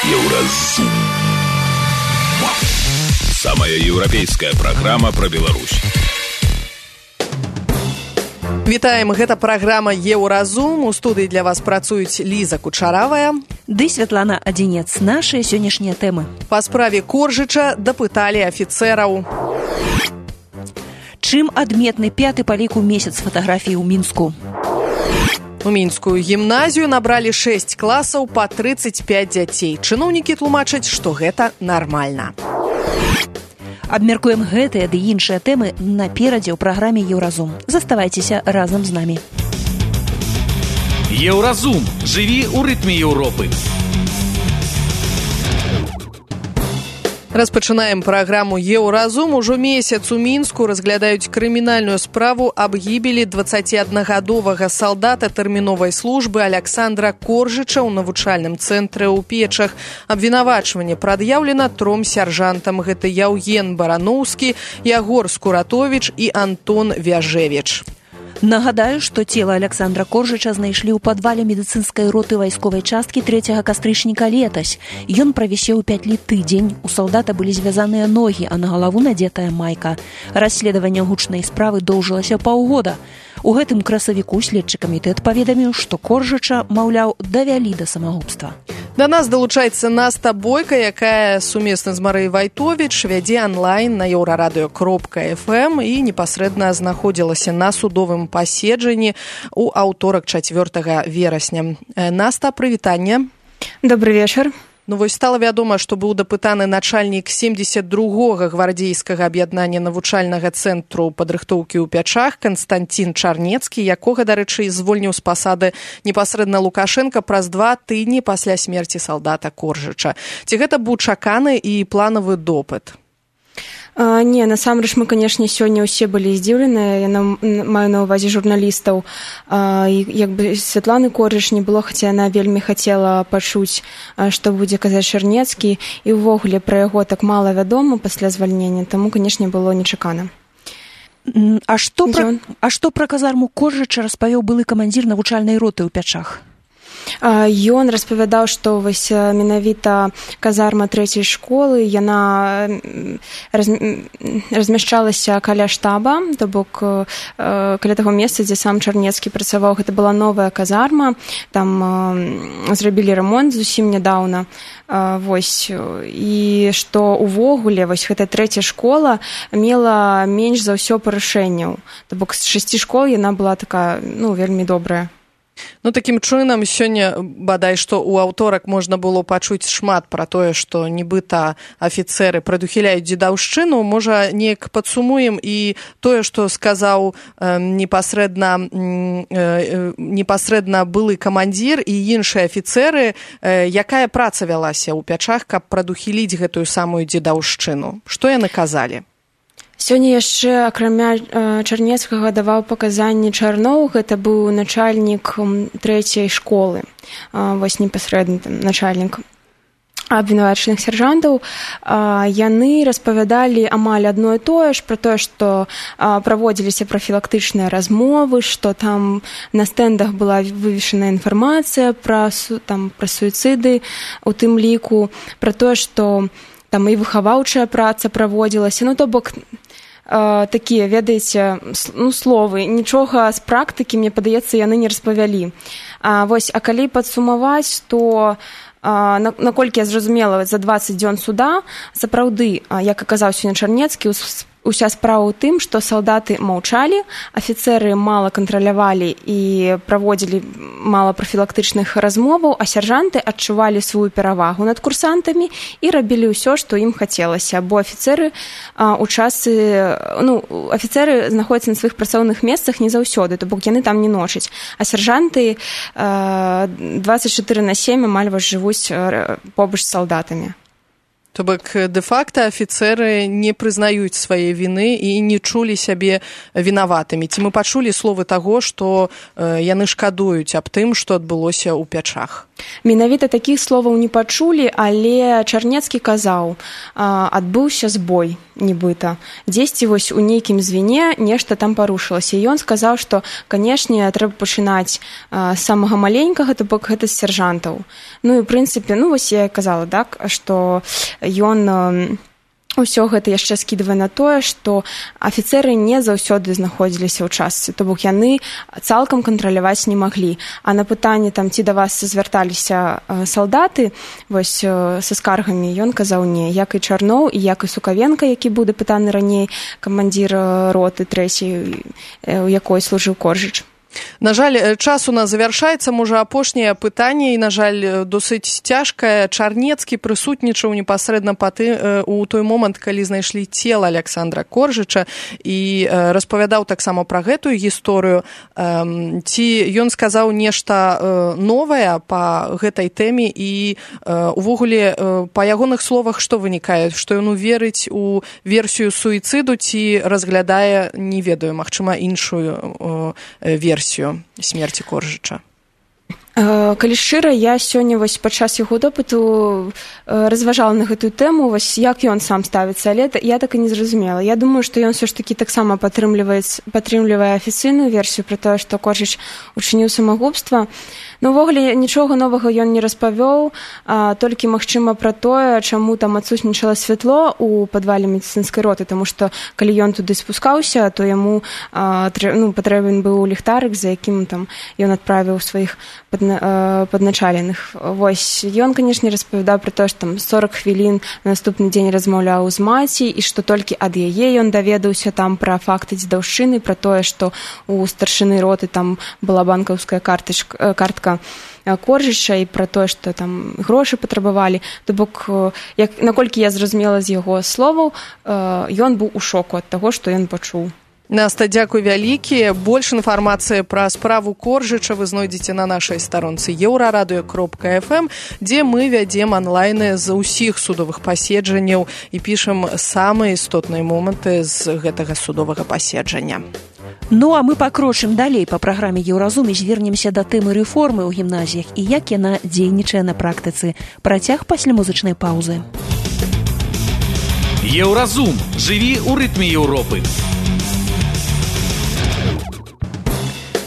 Еўразум. Самая еўрапейская праграма пра Беларусь. Вітаем, гэта праграма «Еўразум». У студыі для вас працуюць Ліза Кучаравая ды Святлана Адзінец. Нашыя сённяшнія тэмы. Па справе Коржыча дапыталі афіцэраў. Чым адметны 5-й па ліку месяц фатаграфій у Мінску? У мінскую гімназію набралі 6 класаў па 35 дзяцей. Чыноўнікі тлумачаць, што гэта нармальна. Абмяркуем гэтыя ды іншыя тэмы наперадзе ў праграме «Еўразум». Заставайцеся разам з намі. Еўразум. Жыві ў рытме Еўропы. Распачынаем праграму «Еўразум». Ужо месяц у Мінску разглядаюць крымінальную справу аб гібелі 21-гадовага салдата тэрміновай службы Аляксандра Коржыча ў навучальным цэнтры ў Печах. Абвінавачванне прад'яўлена 3 сяржантам. Гэта Яўген Бараноўскі, Ягор Скуратовіч і Антон Вяжевіч. Нагадаю, што цела Аляксандра Коржыча знайшлі ў падвале медыцынскай роты вайсковай часткі 3 кастрычніка летась. Ён правісеў 5 тыдзень. У салдата былі звязаныя ногі, а на галаву надзетая майка. Расследаванне гучнай справы доўжылася паўгода. У гэтым красавіку следчы камітэт паведаміў, што Коржыча, маўляў, давялі да самагубства. Да нас далучаецца Наста Бойка, якая сумесна з Марыяй Вайтовіч вядзе онлайн на euradio.fm і непасрэдна знаходзілася на судовым паседжанні ў аўторак 4 верасня. Наста, прывітанне. Добрый вечар. Ну вось стала вядома, што быў дапытаны начальнік 72-га гвардзейскага аб'яднання навучальнага цэнтру падрыхтоўкі ў Пячах Канстантин Чарнецкі, якога, дарэчы, звольніў з пасады непасрэдна Лукашенка праз 2 тыдні пасля смерці салдата Коржыча. Ці гэта быў чаканы і планавы допыт? Не, насамрэч мы, канешне, сёння ўсе былі здзіўленыя. Я маю на ўвазе журналістаў. Як бы Святланы Коржыч не было, хаця яна вельмі хацела пачуць, што будзе казаць Чарнецкі, і ўвогуле пра яго так мала вядома пасля звальнення, таму, канешне, было нечакана. А што пра казарму Коржыча распавёў былы камандзір навучальнай роты ў Пячах? Ён распавядаў, што вось менавіта казарма 3-й школы, яна размяшчалася каля штаба, то бок каля таго месца, дзе сам Чарнецкі працаваў. Гэта была новая казарма, там зрабілі рамонт зусім нядаўна. Вось, і што увогуле вось гэта 3-я школа мела менш за ўсё парушэнняў. То бок з 6 школ яна была такая, вельмі добрая. Ну, такім чынам, сёння, бадай, што ў аўторак можна было пачуць шмат пра тое, што нібыта афіцэры прадухіляюць дзедаўшчыну. Можа, неяк падсумуем і тое, што сказаў непасрэдна былы камандзір і іншыя афіцэры, якая праца вялася ў Пячах, каб прадухіліць гэтую самую дзедаўшчыну. Што яны казалі? Сёння яшчэ, акрамя Чарнецкага, даваў паказанні Чарноў, гэта быў начальнік 3-й школы, вось непасрэдна начальнік абвінавачаных сяржантаў. Яны распавядалі амаль адно і тое ж, пра тое, што праводзіліся прафілактычныя размовы, што там на стэндах была вывешана інфармацыя пра суіцыды, у тым ліку, пра тое, што там і выхаваўчая праца праводзілася. То бок такія, ведаеце, словы. Нічога з практыкі, мне падаецца, яны не распавялі. А калі падсумаваць, то наколькі я зразумела, за 20 дзён суда, сапраўды, як аказаў сёння Чарнецкі, уся справа ў тым, што салдаты маўчалі, афіцэры мала кантралявалі і праводзілі мала прафілактычных размоваў, а сяржанты адчувалі сваю перавагу над курсантамі і рабілі ўсё, што ім хацелася, бо афіцэры знаходзяцца на сваіх працоўных месцах не заўсёды, то бок яны там не ночаць, а сяржанты 24/7 амаль жывуць побач з салдатамі. То бок дэ-факта афіцэры не прызнаюць свае віны і не чулі сябе вінаватымі. Ці мы пачулі словы таго, што яны шкадуюць аб тым, што адбылося ў Пячах? Менавіта такіх словаў не пачулі, але Чарнецкі казаў, адбыўся збой, нібыта. Дзесьці вось у нейкім звене нешта там парушылася. І ён сказаў, што, канешне, трэба пачынаць з самага маленькага, то бок гэта з сяржантаў. Ну і, ў прынцыпе, вось я казала, так, што ён усё гэта яшчэ скідвае на тое, што афіцэры не заўсёды знаходзіліся ў частцы, то бок яны цалкам кантраляваць не маглі. А на пытанне, там, ці да вас звярталіся салдаты вось са скаргамі, ён казаў не. Як і Чарноў, і як і Сукавенка, які быў дапытаны раней, камандзір роты 3-й, у якой служыў Коржыч. На жаль, час у нас завяршаецца, можа, апошняе пытанне, і, на жаль, досыць цяжкае. Чарнецкі прысутнічаў непасрэдна у той момант, калі знайшлі цела Аляксандра Коржыча, і распавядаў таксама пра гэтую гісторыю. Ці ён сказаў нешта новае па гэтай тэме, і увогуле па ягоных словах што вынікае? Што ён верыць у версію суіцыду, ці разглядае, не ведаю, магчыма, іншую версію смерці Коржыча? Калі шчыра, я сёння вось падчас яго допыту разважала на гэтую тэму, вось як ён сам ставіцца, але я так і не зразумела. Я думаю, што ён ўсё ж такі таксама падтрымлівае афіцыйную версію пра тое, што Коржыч учыніў самагубства. Ну, увогуле, нічога новага ён не распавёў, толькі, магчыма, пра тое, чаму там адсутнічала святло ў падвале медыцынскай роты, таму што, калі ён туды спускаўся, то яму патрэбен быў ліхтарык, за якім там ён адправіў сваіх падначаленых. Вось, ён, канешне, распавядаў пра тое, што там 40 хвілін на наступны дзень размаўляў з маці, і што толькі ад яе ён даведаўся там пра факты дзедаўшчыны, пра тое, што у старшыны роты там была банкаўская картка Коржыча, і пра тое, што там грошы патрабавалі. То бок, наколькі я зразумела з яго словаў, ён быў у шоку ад таго, што ён пачуў. Наста, дзякуй вялікі. Больш інфармацыі пра справу Коржыча вы знойдзеце на нашай старонцы euraradio.fm, дзе мы вядзем онлайны з усіх судовых паседжанняў і пішам самыя істотныя моманты з гэтага судовага паседжання. Ну, а мы пакрочым далей па праграме Еўразум і звернемся да тэмы рэформы ў гімназіях і як яна дзейнічае на практыцы. Працяг пасля музычнай паўзы. Еўразум. Жыві ў рытме Еўропы.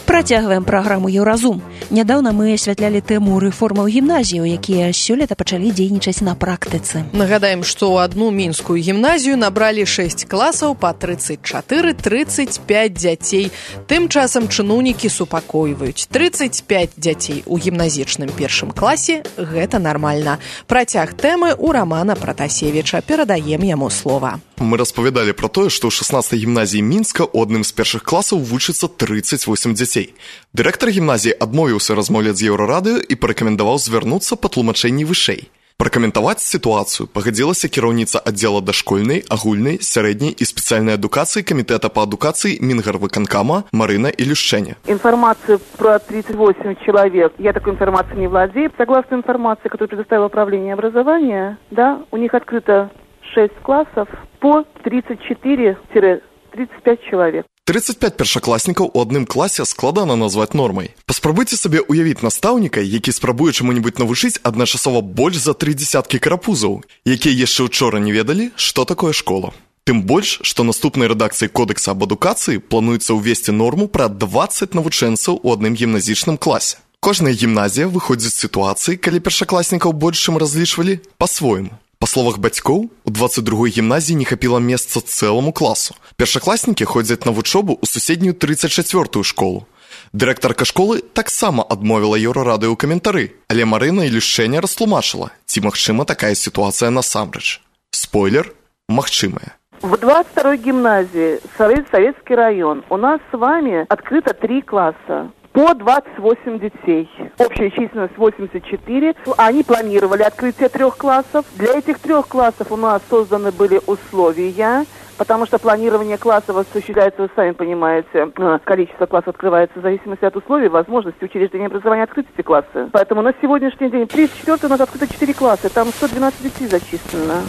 Працягваем праграму Еўразум. Нядаўна мы асвятлялі тэму рэформаў гімназію, якія сёлета пачалі дзейнічаць на практыцы. Нагадаем, што ў адну мінскую гімназію набралі 6 класаў па 34-35 дзяцей. Тым часам чыноўнікі супакойваюць. 35 дзяцей у гімназічным першым класе – гэта нармальна. Працяг тэмы у Рамана Пратасевіча. Перадаем яму слова. Мы распавядалі пра тое, што ў 16-й гімназіі Мінска ў адным з першых класаў вучыцца 38 дзяцей. Дырэктар гімназіі адмовіўся размаўляць з Еўрарадыё і парэкамендаваў звярнуцца па тлумачэнні вышэй. Пракаментаваць сітуацыю пагадзілася кіраўніца аддзела дашкольнай, агульнай, сярэдняй і спецыяльнай адукацыі Камітэта па адукацыі Мінгарвыканкама Марына Илюшченя. Информацию про 38 человек, я такой информацией не владею. Согласно информации, которую предоставило управление образования, да, у них открыто 6 классов по 34-35 человек. 35 першакласнікаў у адным класе складана назваць нормай. Паспрабуйце сабе уявіць настаўніка, які спрабуе чаму-небудзь навучыць адначасова больш за 3 дзесяткі карапузаў, якія яшчэ учора не ведалі, што такое школа. Тым больш, што наступнай рэдакцыі Кодекса аб адукацыі плануецца ўвесці норму пра 20 навучэнцаў у адным гімназічным класе. Кожная гімназія выходзіць з сітуацыі, калі першакласнікаў больш, чым разлічвалі, па-свойму. Па словах бацькоў, у 22-й гімназіі не хапіла месца цэламу класу. Першакласнікі ходзяць на вучобу ў суседнюю 34-ю школу. Дырэктарка школы таксама адмовіла Еўрарадыё ў каментары, але Марына Илюшченя растлумачыла, ці магчыма такая сітуацыя насамрэч. Спойлер – магчымая. В 22-й гимназии, Советский район, у нас с вами открыто 3 класса. По 28 детей. Общая численность 84. Они планировали открытие 3 классов. Для этих 3 классов у нас созданы были условия. потому что планирование классов осуществляется, вы сами понимаете, количество классов открывается в зависимости от условий, возможности учреждения образования открыть эти классы. Поэтому на сегодняшний день 34 у нас открыто 4 класса, там 112 детей зачислено.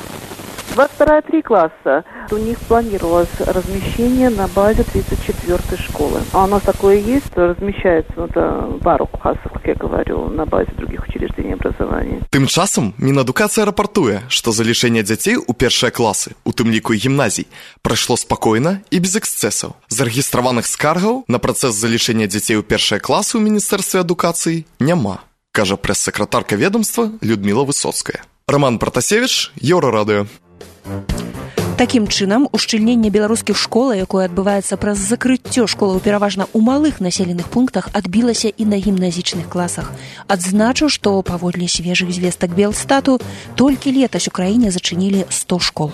22 3 класса. У них планировалось размещение на базе 34-й школы. А у нас такое есть, что размещается пару классов, как я говорю, на базе других учреждений образования. Тым часам Мінадукацыя рапартуе, што залічэнне дзяцей у першыя класы, у тым ліку і гімназій, прайшло спакойна і без эксцэсаў. Зарэгістраваных скаргаў на працэс залічэння дзяцей у першыя класы ў Міністэрстве адукацыі няма, кажа прэс-сакратарка ведомства Людміла Высоцкая. Роман Пратасевіч, Еўрарадыё. Такім чынам, ушчыльненне беларускіх школ, якое адбываецца праз закрыццё школаў пераважна ў малых населеных пунктах, адбілася і на гімназічных класах. Адзначу, што паводле свежых звестак Белстату толькі летась у краіне зачынілі 100 школ.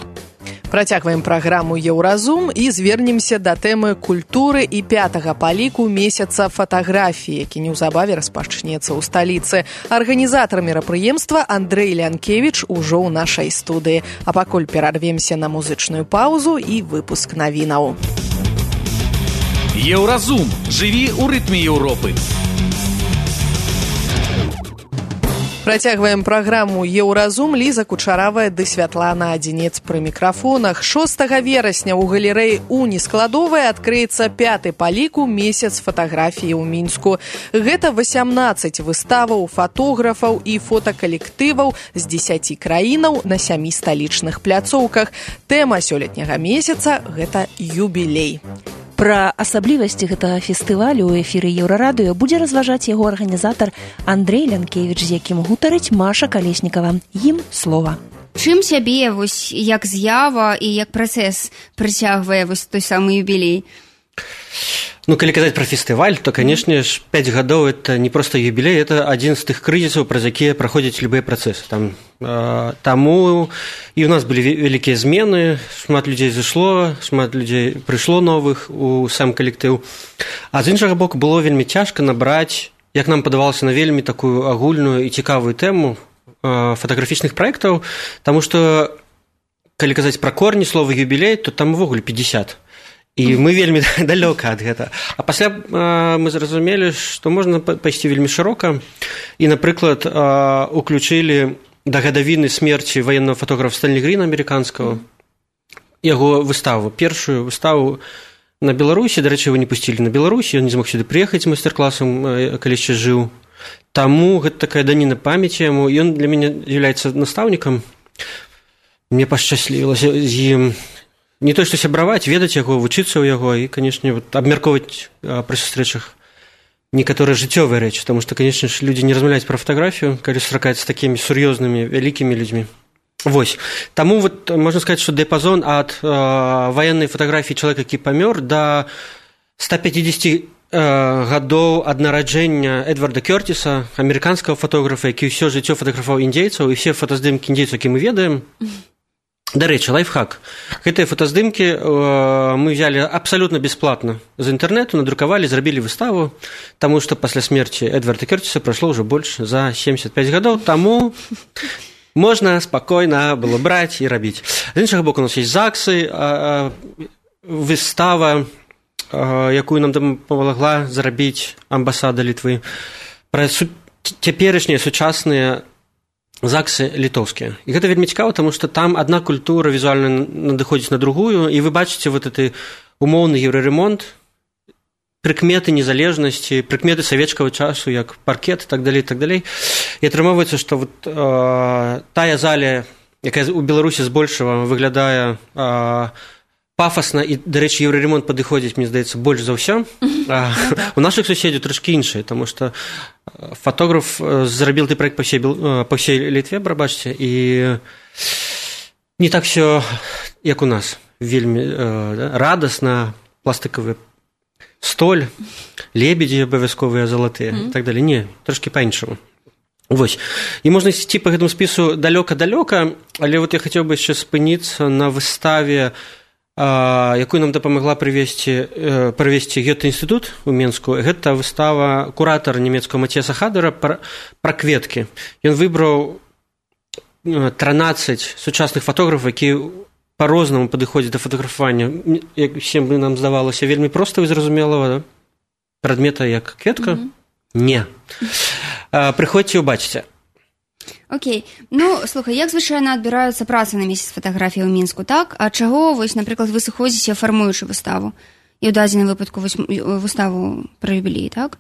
Працягваем праграму «Еўразум» і звернемся да тэмы культуры і 5-га па ліку месяца фатаграфіі, які неўзабаве распачнецца ў сталіцы. Арганізатар мерапрыемства Андрэй Лянкевіч ужо ў нашай студыі. А пакуль перарвемся на музычную паузу і выпуск навінаў. «Еўразум» – жыві ў рытме Еўропы. Працягваем праграму «Еўразум». Ліза Кучаравая ды Святлана Адзінец пры мікрафонах. 6 верасня ў галерэі Уні складовай адкрыецца 5-й па ліку месяц фатаграфіі ў Мінску. Гэта 18 выставаў фатографаў і фотакалектываў з 10 краінаў на 7 сталічных пляцоўках. Тэма сёлетняга месяца – гэта юбілей. Пра асаблівасці гэтага фестывалю ў эфіры Еўрарадыё будзе разважаць яго арганізатар Андрэй Лянкевіч, з якім гутарыць Маша Калеснікава. Ім слова. Чым сябе як з'ява і як працэс прыцягвае той самы юбілей? Калі казаць пра фестываль, то, канешне ж, 5 гадоў – это не проста юбілей, это адзін з тых крызісаў, праз якія праходзяць любыя працэсы. Таму і ў нас былі вялікія змены, шмат людзей зышло, шмат людзей прыйшло новых у сам калектыў. А з іншага боку, было вельмі цяжка набраць, як нам падавалася, на вельмі такую агульную і цікавую тэму фатаграфічных праектаў, таму што, калі казаць пра корні слова юбілей, то там увогуле 50. І мы вельмі далёка ад гэта. А пасля мы зразумелі, што можна пайсці вельмі шырока. І, напрыклад, уключылі да гадавіны смерці ваеннага фотографа Стэнлі Гріна амерыканскага, яго выставу, першую выставу на Беларусі. Дарэчы, его не пусцілі на Беларусі, ён не змог сюды прыехаць з майстар-класам, калі яшчэ жыў. Таму гэта такая даніна памяці яму. Ён для мяне з'яўляецца настаўнікам. Мне пашчаслівілася з ім не то, што сябраваць, ведаць яго, вучыцца ў яго і, канешне, абмяркоўваць пры сустрэчах некаторыя жыццёвыя рэчы, таму што, канешне ж, людзі не размаўляюць пра фатаграфію, калі сустракаюцца з такімі сур'ёзнымі, вялікімі людзьмі. Вось. Таму, можна сказаць, што дыяпазон ад ваеннай фатаграфіі чалавека, які памёр, да 150 гадоў ад нараджэння Эдварда Кёртіса, амерыканскага фотографа, які ўсё жыццё фатаграфаваў індзейцаў, і ўсе фотаздымкі індзейцаў, які мы ведаем. Дарэчы, лайфхак. Гэтыя фотаздымкі мы взяли абсалютна бесплатна з інтэрнэту, надрукавалі, зрабілі выставу, таму што пасля смерці Эдварда Кёртіса прайшло ўжо больш за 75 гадоў, таму можна спакойна было браць і рабіць. З іншага боку, у нас ёсць ЗАГСы, выстава, якую нам дапамагла зрабіць амбасада Літвы, пра цяперашнія сучасныя ЗАГСы літоўскія. І гэта вельмі цікава, таму што там адна культура візуальна надыходзіць на другую, і вы бачыце гэты умоўны еўраремонт, прыкметы незалежнасці, прыкметы савецкага часу, як паркет і так далей, і так далей. І атрымоўваецца, што тая заля, якая ў Беларусі збольшага выглядае пафасна, і, дарэчы, еўраремонт падыходзіць, мне здаецца, больш за ўсё. У нашых суседзяў трошкі іншае, таму што фотограф зрабіў ты праект па ўсей Літве, прабачце, і не так всё, як у нас, вельмі радасна, пластыкавы столь, лебедзі абавязковыя залатыя і так далей. Не, трошкі па-іншаму. Вось. І можна ісці па гэтаму спісу далёка-далёка, але я хацеў бы яшчэ спыніцца на выставе, якую нам дапамагла правесці Гёте-інстытут у Менску. Гэта выстава куратара нямецкага Мацеса Хадера пра кветкі. Ён выбраў 13 сучасных фотографаў, якія па-рознаму падыходзіць да фатаграфавання. Як всем бы нам здавалася, вельмі проста і зразумелага, да? Прадмета як кветка? Не. Прыходзьце і ўбачыце. Окей. Ну, слухай, як звычайна адбіраюцца працы на месяц фатаграфіі ў Мінску, так? А чаго, вось, напрыклад, вы сыходзіце, фармуючы выставу? І ў дадзеным выпадку выставу пра юбілей, так?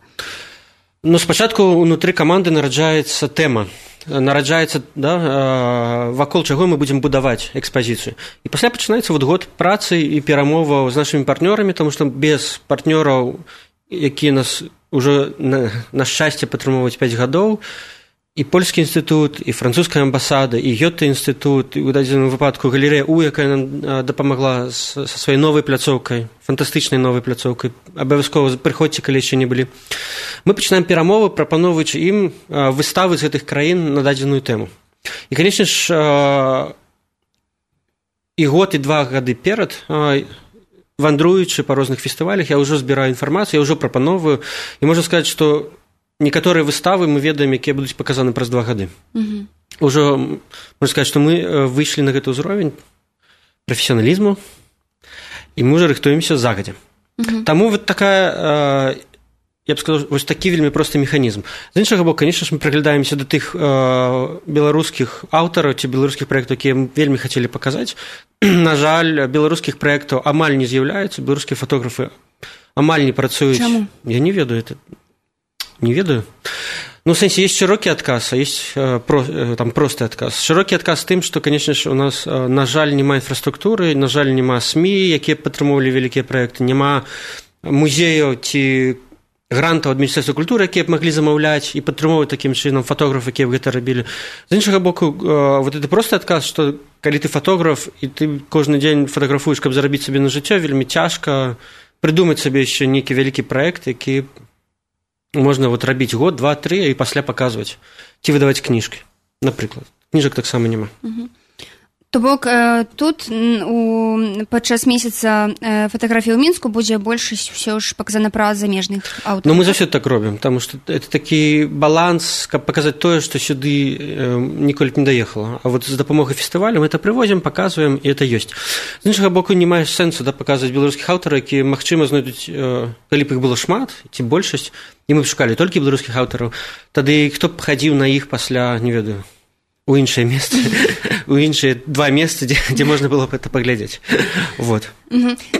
Ну, спачатку ўнутры каманды нараджаецца тэма. Нараджаецца, да, вакол чаго мы будзем будаваць экспазіцыю. І пасля пачынаецца вот год працы і перамоваў з нашымі партнёрамі, таму што без партнёраў, якія нас ужо на шчасце падтрымоўваюць 5 гадоў, і польскі інстытут, і французская амбасада, і Гёте-інстытут, і ў дадзеным выпадку галерэя У, якая нам дапамагла са сваёй новай пляцоўкай, фантастычнай новай пляцоўкай. Абавязкова прыходзьце, калі яшчэ не былі. Мы пачынаем перамовы, прапаноўваючы ім выставы з гэтых краін на дадзеную тэму. І, канечне ж, і год, і 2 гады перад, вандруючы па розных фестывалях, я ўжо збіраю інфармацыю, я ўжо прапаноўваю, і можна сказаць, што некаторыя выставы мы ведаем, якія будуць паказаны праз 2 гады. Ужо можна сказаць, што мы выйшлі на гэты ўзровень прафесіяналізму, і мы ўжо рыхтуемся загадзя. Таму вот такая, я б сказаў, вось такі вельмі просты механізм. З іншага боку, конечно ж, мы прыглядаемся да тых беларускіх аўтараў ці беларускіх праектаў, якія мы вельмі хацелі паказаць. На жаль, беларускіх праектаў амаль не з'яўляюцца, беларускія фотографы амаль не працуюць. Чаму? Я не ведаю это. Не ведаю. Ну, в сенсе, есть широкий отказ, а есть там простый отказ. Широкий отказ тым, что, конечно же, у нас, на жаль, нема инфраструктуры, на жаль, нема СМИ, якія падтрымоўвалі вялікія праекты, нема музеяў ці грантаў ад Міністэрства культуры, якія б маглі замаўляць і падтрымоўваць такім чынам фотограф, якія б гэта рабілі. З іншага боку, вот это просты адказ, што калі ты фотограф і ты кожны дзень фатаграфуеш, каб зарабіць сабе на жыццё, вельмі цяжка прыдумаць сабе яшчэ нейкі вялікі праект, які можна вот рабіць год, 2, 3 і пасля паказваць ці выдаваць кніжкі, напрыклад. Кніжак таксама няма. То бок тут падчас месяца фатаграфіі ў Мінску будзе большасць ўсё ж паказана праз замежных аўтараў. Ну, мы заўсёды так робім, таму што это такі баланс, каб паказаць тое, што сюды ніколі б не даехала. А вот з дапамогай фестывалю мы это прывозім, паказваем, і это ёсць. З іншага боку, не мае сэнсу паказваць беларускіх аўтараў, якія, магчыма, знойдуць, калі б іх было шмат, ці большасць, і мы б шукалі толькі беларускіх аўтараў, тады хто б хадзіў на іх пасля, не ведаю, у іншае месца, у іншыя 2 месцы, дзе можна было б это паглядзець. Вот.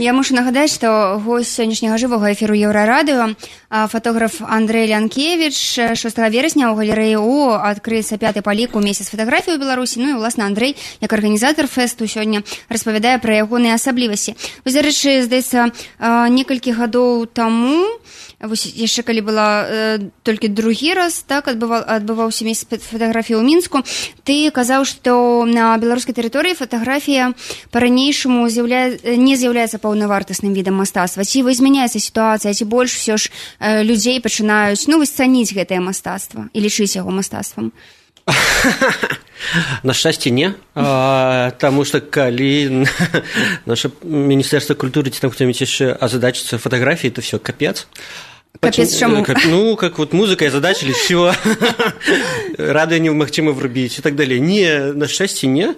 Я мушу нагадаць, што госць сённяшняга жывога эфіру Еўрарадыё, фотограф Андрэй Лянкевіч, 6 верасня ў галерэі У адкрыецца 5-й па ліку месяц фатаграфіі ў Беларусі. Ну і, уласна, Андрэй, як арганізатар фэсту, сёння распавядае пра ягоныя асаблівасці. Вось, дарэчы, здаецца, некалькі гадоў таму, вось яшчэ калі была толькі другі раз, так, адбываўся месяц фатаграфіі ў Мінску, ты казаў, што на беларускай тэрыторыі фатаграфія па-ранейшаму не з'яўляецца паўнавартасным відам мастацтва. Ці змяняецца сітуацыя, ці больш усё ж людзей пачынаюць, ну, цаніць гэтае мастацтва і лічыць яго мастацтвам? На шчасце не, таму што калі наше Міністэрства культуры ці там хто-нибудь яшчэ азадачыцца фатаграфіі, то все, капец. Капец, чаму? Ну, как вот музыкой озадачили, все, радио немагчыма врубіць и так далее. Не, на шчасце не.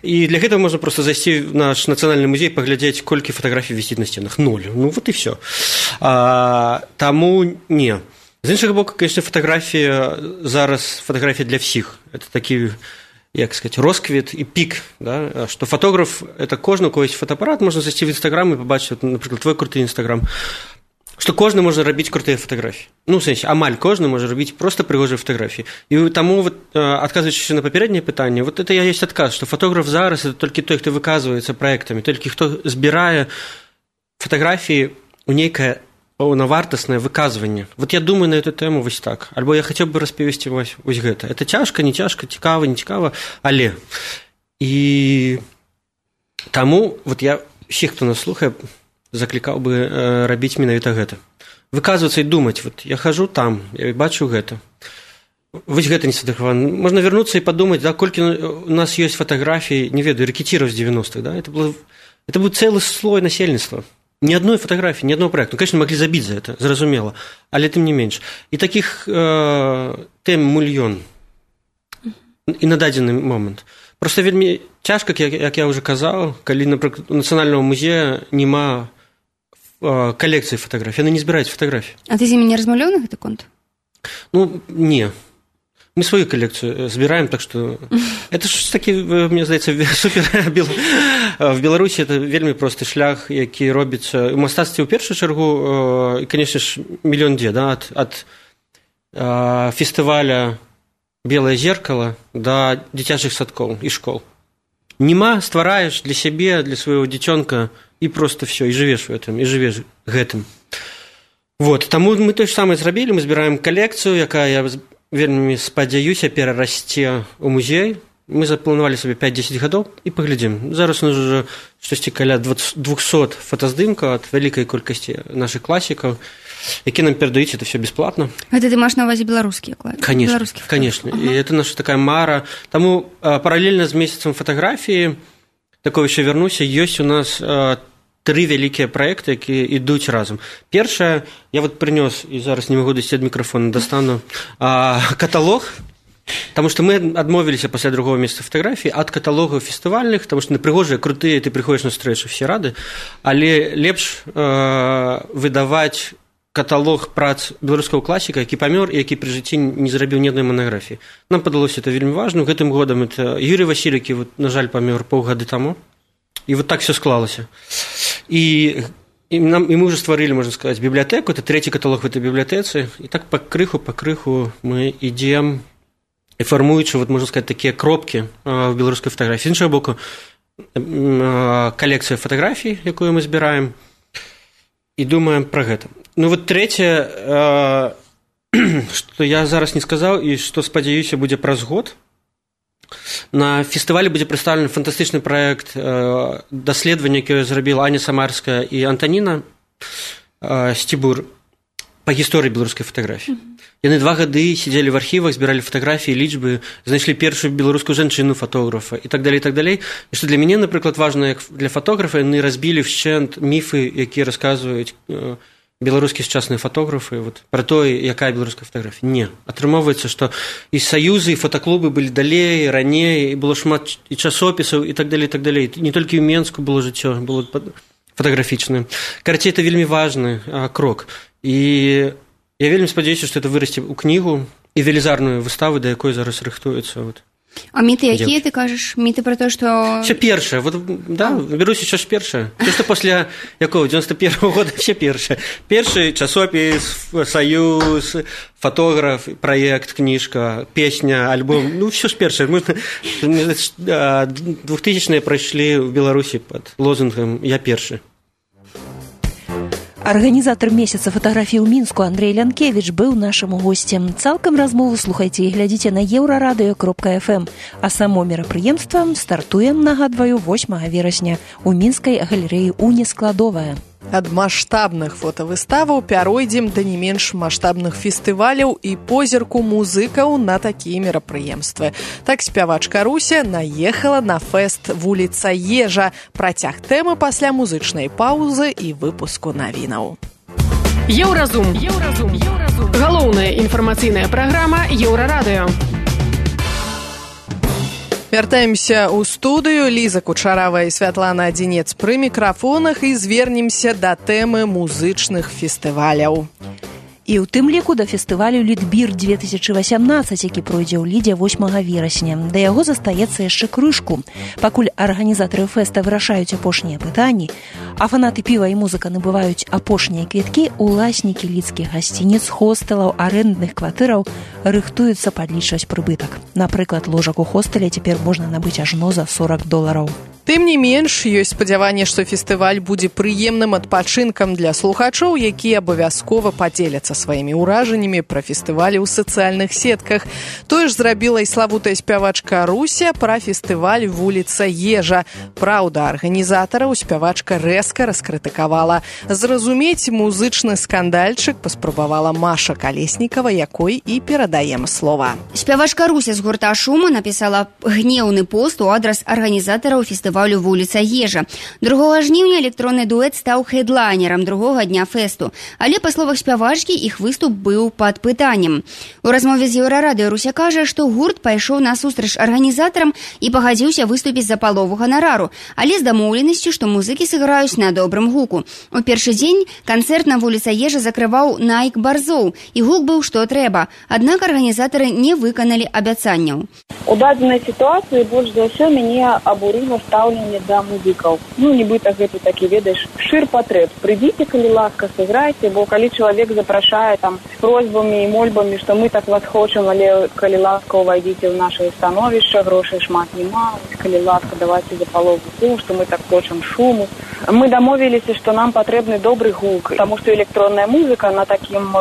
И для этого можно просто зайти в наш национальный музей, поглядеть, колькі фотографий висит на стенах. 0. Ну, вот и все. Таму не. З іншага боку, конечно, фотография зараз, фотография для всех. Это такі, як сказать, росквіт і пік, да? Что фотограф, это кожны, у кого есть фотоаппарат, можно зайти в Инстаграм и побачить, вот, например, твой крутой Инстаграм, што кожны можа рабіць крутыя фатаграфіі. Ну, в сэнсе, амаль кожны можа рабіць проста прыгожыя фатаграфіі. І таму, вот, адказваючыся на папярэдняе пытанне, вот это ёсць адказ, што фотограф зараз это толькі той, хто выказваецца праектамі, толькі хто збірае фатаграфіі ў нейкае паўнавартаснае выказванне. Вот я думаю на эту тэму вось так. Альбо я хацеў бы распавесці вось гэта. Это цяжка, не цяжка, цікава, не цікава, але. І таму, вот я всіх, хто нас слухае, заклікаў бы рабіць менавіта гэта. Выказвацца і думаць, вот я хожу там, я бачу гэта. Вось гэта не сфотаграфавана. Можна вярнуцца і падумаць, да, колькі у нас ёсць фатаграфій, не ведаю, рэкетіраў з 90-х, да? Это быў цэлы слой насельніцтва. Ни одной фотографии, ни одного проекта. Ну, конечно, могли забить за это, зразумела, але тым не менш. І таких тэм мільён. І на дадзены момант. Просто вельмі цяжка, як я ўжо казаў, калі, напрыклад, у нацыянальнага музея няма калекцыі фатаграфій, яны не збіраюць фатаграфіі. А ты з імі не размаўляў на гэты конт? Ну, не. Мы сваю калекцыю збіраем, так што это ж такі, мне здаецца, супер. В Беларусі это вельмі просты шлях, які робіцца у мастацтве ў першую чаргу, і, канешне ж, мільён дзе, да, ад фестываля «Белае зеркало» да дзіцячых садкоў і школ. Нема, ствараеш для сябе, для свайго дзіцёнка, і просто все, і жывеш у гэтым, і жывеш гэтым. Вот, таму мы тое ж самае зрабілі, мы збіраем калекцыю, якая, я вельмі спадзяюся, перарасце ў музей. Мы запланавалі сабе 5-10 гадоў і паглядзім. Зараз у нас уже штосьці каля 200 фотаздымкаў ад вялікай колькасці нашых класікаў, які нам перадаюць, это все бесплатно. Гэта ты маеш на ўвазе беларускія класікі? Конечно. І это наша такая мара. Таму паралельна з месяцам фатаграфіі, такое еще вернуся, ёсць у нас 3 вялікія праекты, якія ідуць разам. Першае, я вот прынёс, і зараз не магу дасці ад мікрафона, дастану каталог, потому что мы адмовіліся пасля другого месяца фатаграфій ад каталогаў фестывальных, потому что прыгожыя, крутыя, ты прыходзіш на стрэчу, все рады, але лепш выдаваць каталог прац беларускага класіка, які памёр і які пры жыцці не зрабіў ні адной манаграфіі. Нам падалося это вельмі важна. Гэтым годам это Юрий Василь, які, вот, на жаль, памёр паўгады таму. І вот так все склалася. І мы уже стварылі, можна сказаць, бібліятэку, это 3-й каталог в этой бібліятэцы, і так па крыху мы ідзем, і фармуючы, вот, можна сказаць, такія кропкі в беларускай фатаграфіі. З іншага боку, калекцыя фатаграфій, якую мы збіраем, і думаем пра гэта. Ну вот трэцяе, што я зараз не сказаў, і што, спадзяюся, будзе праз год, на фестывалі будзе прадстаўлены фантастычны праект даследавання, якое зрабіла Аня Самарская і Антаніна Сцібур па гісторыі беларускай фатаграфіі. Яны 2 гады сидзелі в архівах, збіралі фатаграфіі, лічбы, знайшлі першую беларускую жанчыну фотографа і так далей, і так далей. І што для мяне, напрыклад, важна, як для фотографа, яны разбілі вшчэнт міфы, якія расказваюць беларускія сучасныя фотографы, вот, пра тое, якая беларуская фатаграфія. Не. Атрымоўваецца, што і саюзы, і фотаклубы былі далей, раней, і было шмат і часопісаў, і так далей, і так далей. Не толькі ў Менску было жыццё, было фотаграфічнае. Карацей, это вельмі важны крок. І я вельмі спадзяюся, што это вырасце ў кнігу і велізарную выставу, да якой зараз рыхтуецца. Вот. А міты якія ты кажаш? Міты пра то, што... Все першае. Вот, да, берусь еще ж першае. То, што пасля якого 91-го года все першае. Першы часопіс, саюз, фотограф, праект, кніжка, песня, альбом. Ну, все ж першае. 2000-е прайшлі ў Беларусі пад лозунгам «Я першы». Арганізатар месяца фатаграфій у Мінску Андрэй Лянкевіч быў нашым госцем. Цалкам размову слухайце і глядзіце на еўрарадыё.фм. А само мерапрыемства стартуем, нагадваю, 8 верасня у мінскай галерэі «Уні складовая». Ад маштабных фотавыставаў пяройдзем да не менш маштабных фестываляў і позірку музыкаў на такія мерапрыемствы. Так спявачка Руся наехала на фэст «Вуліца Ежа». Працяг тэмы пасля музычнай паўзы і выпуску навінаў. Еўразум. Галоўная інфармацыйная праграма Еўрарадыё. Вяртаемся ў студыю. Ліза Кучарава і Святлана Адзінец пры мікрафонах і звернемся да тэмы музычных фестываляў. І ў тым ліку да фестывалю «Літбір-2018», які пройдзе ў Лідзе 8 верасня. Да яго застаецца яшчэ крышку. Пакуль арганізатары фэста вырашаюць апошнія пытанні, а фанаты піва і музыка набываюць апошнія квіткі, уласнікі лідскіх гасцініц, хостэлаў, арэндных кватэраў рыхтуюцца падлічваць прыбытак. Напрыклад, ложак у хостэле цяпер можна набыць ажно за $40. Тым не менш, ёсць спадзяванне, што фестываль будзе прыемным адпачынкам для слухачоў, якія абавязкова падзеляцца сваімі ўражаннямі пра фестывалі ў сацыяльных сетках. Тое ж зрабіла і славутая спявачка Руся пра фестываль «Вуліца Ежа». Праўда, арганізатараў спявачка рэзка раскрытыкавала. Зразумець музычны скандальчык паспрабавала Маша Калеснікава, якой і перадаем слова. Спявачка Руся з гурта «Шума» напісала гнеўны пост у адрас арганізатараў фестываля фестывалю «Вуліца Ежа». 2 жніўня электронны дуэт стаў хедлайнерам другога дня фэсту. Але, па словах спявачкі, іх выступ быў пад пытаннем. У размове з Еўрарадыё Руся кажа, што гурт пайшоў насустрач арганізатарам і пагадзіўся выступіць за палову ганарару, але з дамоўленасцю, што музыкі сыграюць на добрым гуку. У першы дзень канцэрт на «Вуліца Ежа» закрываў Найк Барзоў, і гук быў што трэба. Аднак арганізатары не выканалі абяцанняў. У дадзенай сітуацыі больш за ўсё мяне абурыла стаўленне да музыкаў. Нібыта гэта такі, ведаеш, шыр патрэб. Прыйдзіце, калі ласка, сыграйце, бо калі чалавек запрашае там з просьбамі і мольбамі, што мы так вас хочам, але калі ласка, увайдзіце ў нашае становішча, грошай шмат нема, калі ласка, давайце за палову гуку, што мы так хочам шуму. Мы дамовіліся, што нам патрэбны добры гук, таму што электронная музыка на такім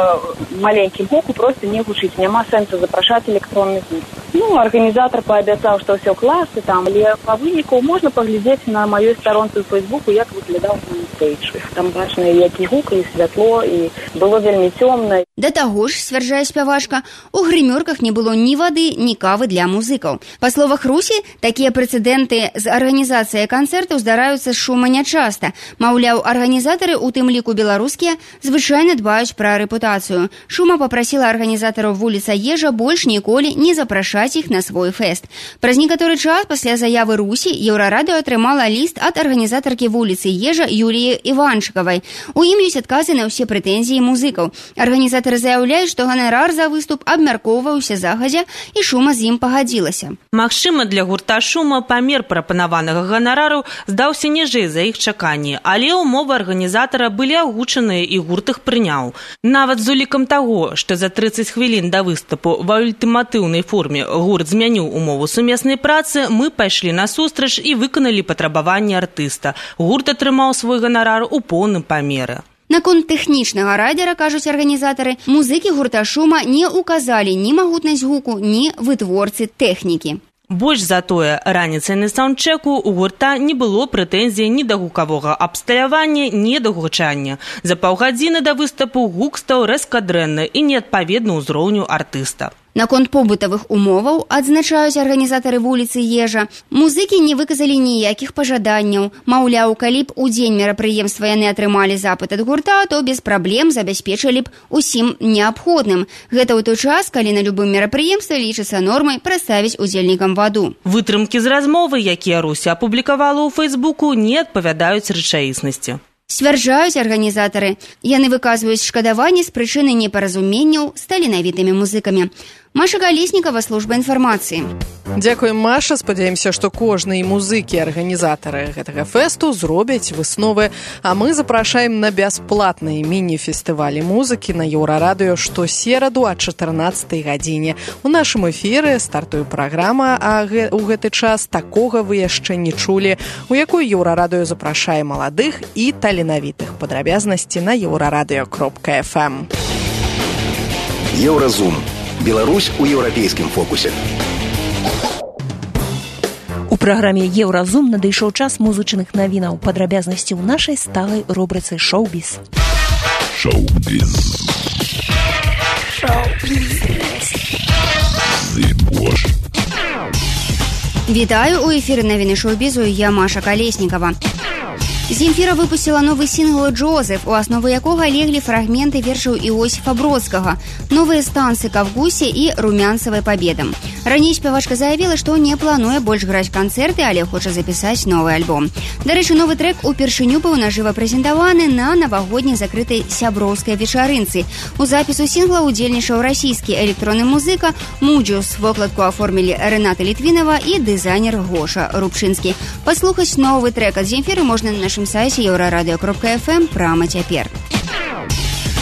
маленькім гуку проста не гучыць. Няма сэнсу запрашаць электронны гук. Арганізатар паабяцаў, што ўсё класна там, але па выніку можна паглядзець на маёй старонцы ў Фейсбуку, як выглядаў мейнстейдж. Там бачна, які гук, і святло, і было вельмі цёмна. Да таго ж, сцвярджае спявачка, у грымёрках не было ні вады, ні кавы для музыкаў. Па словах Русі, такія прэцэдэнты з арганізацыяй канцэртаў здараюцца з шума нячаста. Маўляў, арганізатары, у тым ліку беларускія, звычайна дбаюць пра рэпутацыю. Шума папрасіла арганізатараў «Вуліца Ежа» больш ніколі не запрашаць іх на свой фэст. Праз некаторы час пасля заявы Русі Еўрарадыё атрымала ліст ад арганізатаркі «Вуліцы Ежа» Юліі Іванчыкавай. У ім ёсць адказы на ўсе прэтэнзіі музыкаў. Арганізатары заяўляюць, што ганарар за выступ абмяркоўваўся загадзя, і Шума з ім пагадзілася. Магчыма, для гурта «Шума» памер прапанаванага ганарару здаўся ніжэй за іх чаканні, але ўмовы арганізатара былі агучаныя і гурт іх прыняў. Нават з улікам таго, што за 30 хвілін да выступу ва ультыматыўнай форме гурт змяніў умову сумеснай працы, мы пайшлі насустрач і выканалі патрабаванні артыста. Гурт атрымаў свой ганарар у поўным памеры. Наконт тэхнічнага радзера, кажуць арганізатары, музыкі гурта «Шума» не ўказалі ні магутнасць гуку, ні вытворцы тэхнікі. Больш за тое, раніцай на саундчеку у гурта не было прэтэнзій ні да гукавога абсталявання, ні да гучання. За паўгадзіны да выступу гук стаў рэзка дрэнны і неадпаведны ўзроўню артыста. Наконт побытавых умоваў, адзначаюць арганізатары «Вуліцы Ежа», музыкі не выказалі ніякіх пажаданняў. Маўляў, калі б у дзень мерапрыемства яны атрымалі запыт ад гурта, то без праблем забяспечылі б усім неабходным. Гэта ў той час, калі на любым мерапрыемстве лічыцца нормай праставіць удзельнікам ваду. Вытрымкі з размовы, якія Руся апублікавала ў Фейсбуку, не адпавядаюць рэчаіснасці. Сцвярджаюць арганізатары. Яны выказваюць шкадаванне з прычыны непаразуменняў з таленавітымі музыкамі. Маша Калеснікава, служба інфармацыі. Дзякуем, Маша. Спадзяемся, што кожны музыкі, арганізатары гэтага фэсту зробяць высновы. А мы запрашаем на бясплатныя міні-фестывалі музыкі на Еўрарадыё штосераду о 14 гадзіне. У нашым эфіры стартуе праграма, а у гэты час такога вы яшчэ не чулі, у якой Еўрарадыё запрашае маладых і таленавітых. Падрабязнасці на euraradыё.fm. Еўразум. Беларусь у еўрапейскім фокусе. У праграме «Еўразум» надышоў час музычных навінаў. Падрабязнасці ў нашай сталай рубрыцы «Шоу-біз». Шоу-біз. Вітаю, у эфіры навіны шоу-бізу, я Маша Калеснікава. Земфіра выпусціла новы сінгл «Джозеф», у аснову якога леглі фрагменты вершаў Іосіфа Бродскага, новыя станцы «Кавгусе» і «Румянцавай пабедам». Раней спявачка заявіла, што не плануе больш граць канцэрты, але хоча запісаць новы альбом. Дарэчы, новы трэк упершыню быў нажыва прэзентаваны на навагодняй закрытай сяброўскай вечарынцы. У запісу сінгла удзельнічаў расійскі электронны музыка Муджус. Вокладку аформілі Рэната Літвінава і дызайнер Гоша Рубчынскі. Паслухаць новы трэк ад Земфіры можна на нашым сайце euraradыё.fm прама цяпер.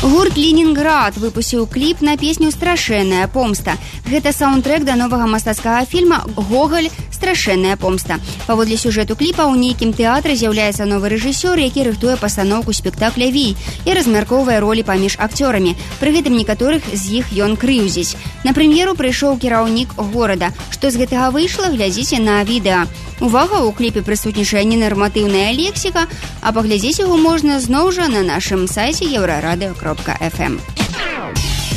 Гурт «Ленінград» выпусціў кліп на песню «Страшэнная помста». Гэта саундтрэк да новага мастацкага фільма «Гоголь. Страшэнная помста». Паводле сюжэту кліпа ў нейкім тэатры з'яўляецца новы рэжысёр, які рыхтуе пастаноўку спектакля «Вій» і размяркоўвае ролі паміж акцёрамі. Пры гэтым некаторых з іх ён крыўдзіць. На прэм'еру прыйшоў кіраўнік горада. Што з гэтага выйшла, глядзіце на відэа. Увага, у кліпе прысутнічае ненарматыўная лексіка, а паглядзець яго можна зноў жа на нашым сайце euraradыё.fm.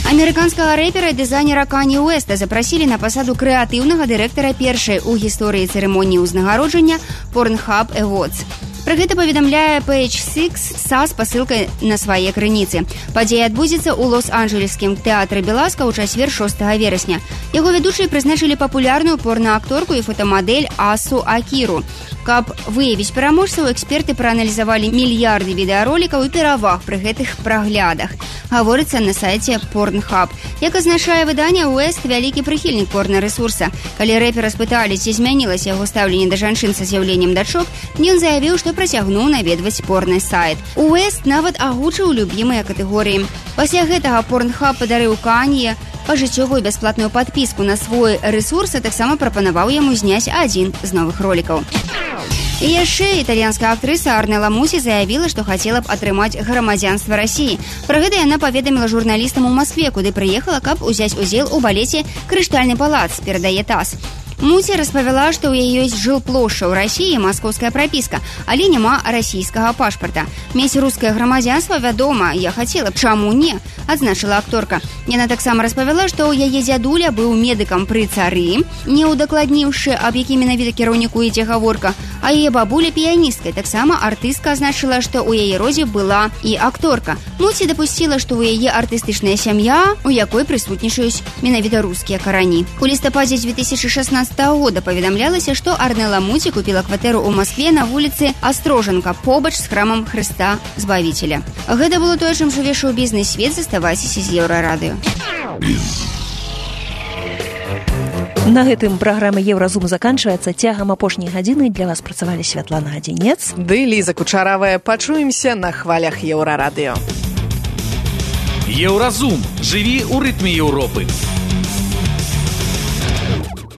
Амерыканскага рэпера і дызайнера Канье Уэста запрасілі на пасаду крэатыўнага дырэктара першай у гісторыі цырымоніі ўзнагароджання Pornhub Awards. Пра гэта паведамляе Page Six са спасылкай на свае крыніцы. Падзея адбудзецца ў Лос-Анджелескім тэатры Беласка ў чацвер 6 верасня. Яго вядучыя прызначылі папулярную порнаакторку і фотамадэль Асу Акіру. Каб выявіць пераможцаў, эксперты прааналізавалі мільярды відэаролікаў і пераваг пры гэтых праглядах. Гаворыцца на сайце Pornhub. Як азначае выданне, Уэст вялікі прыхільнік порна-рэсурса. Калі рэпера спыталі, ці змянілася яго стаўленне да жанчын са з'яўленнем дачок, ён заявіў, што працягнуў наведваць порны сайт. Уэст нават агучыў любімыя катэгорыі. Пасля гэтага Pornhub падарыў Канье пажыццёвую бясплатную падпіску на свой рэсурс, а таксама прапанаваў яму зняць адзін з новых ролікаў. І яшчэ італьянская актрыса Арнела Мусі заявіла, што хацела б атрымаць грамадзянства Расіі. Пра гэта яна паведаміла журналістам у Маскве, куды прыехала, каб узяць удзел у балеце «Крыштальны палац», перадае ТАСС. Мусі распавяла, што ў яе ёсць жылплошча ў Расіі, маскоўская прапіска, але няма расійскага пашпарта. Мець рускае грамадзянства, вядома, я хацела б, чаму не, адзначыла акторка. Яна таксама распавяла, што ў яе дзядуля быў медыкам пры цары, не ўдакладніўшы, аб якім менавіта кіраўніку ідзе гаворка, а яе бабуля піяністкай. Таксама артыстка азначыла, што ў яе родзе была і акторка. Мусі дапусціла, што ў яе артыстычная сям'я, у якой прысутнічаюць менавіта рускія карані. У лістападзе 2016 года паведамлялася, што Арнела Мусі купіла кватэру ў Маскве на вуліцы Астрожанка, побач з храмам Хрыста Збавіцеля. Гэта было тое, чым жыве шоу-бізнес свет. Заставайцеся з Еўрарадыё. На гэтым праграма «Еўразум» заканчваецца. Цягам апошняй гадзіны для вас працавалі Святлана Адзінец ды Ліза Кучаравая. Пачуемся на хвалях Еўрарадыё. Еўразум. Жыві ў рытме Еўропы.